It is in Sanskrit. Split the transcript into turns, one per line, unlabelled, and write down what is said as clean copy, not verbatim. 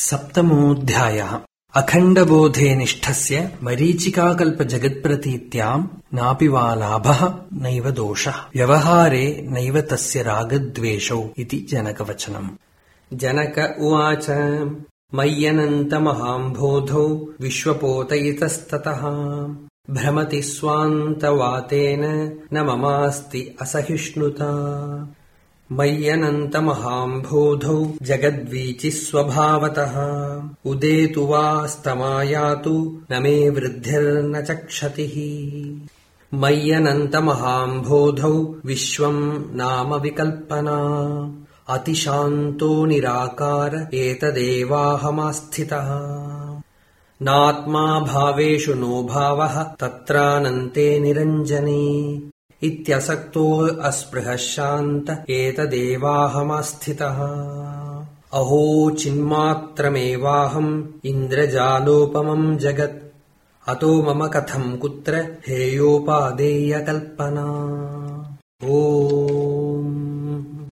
सप्तमोऽध्यायः। अखण्डबोधे निष्ठस्य मरीचिकाकल्पजगत्प्रतीत्याम् नापि वा लाभः नैव दोषः, व्यवहारे नैव तस्य रागद्वेषौ इति जनकवचनम्। जनक उवाच। मय्यनन्तमहाम्भोधौ विश्वपोतयितस्ततः भ्रमति स्वान्तवातेन न ममास्ति असहिष्णुता। मय्यनन्तमहाम्भोधौ जगद्वीचिः स्वभावतः उदेतु वा स्तमायातु न मे वृद्धिर्न च क्षतिः। मय्यनन्तमहाम्भोधौ विश्वम् नाम विकल्पना अतिशान्तो निराकार एतदेवाहमास्थितः। नात्मा भावेषु नो भावः तत्रानन्ते निरञ्जने इत्यसक्तो अस्पृहः शान्त एतदेवाहमास्थितः। अहो चिन्मात्रमेवाहम् इन्द्रजालोपमम् जगत् अतो मम कथम् कुत्र हेयोपादेयकल्पना। ओ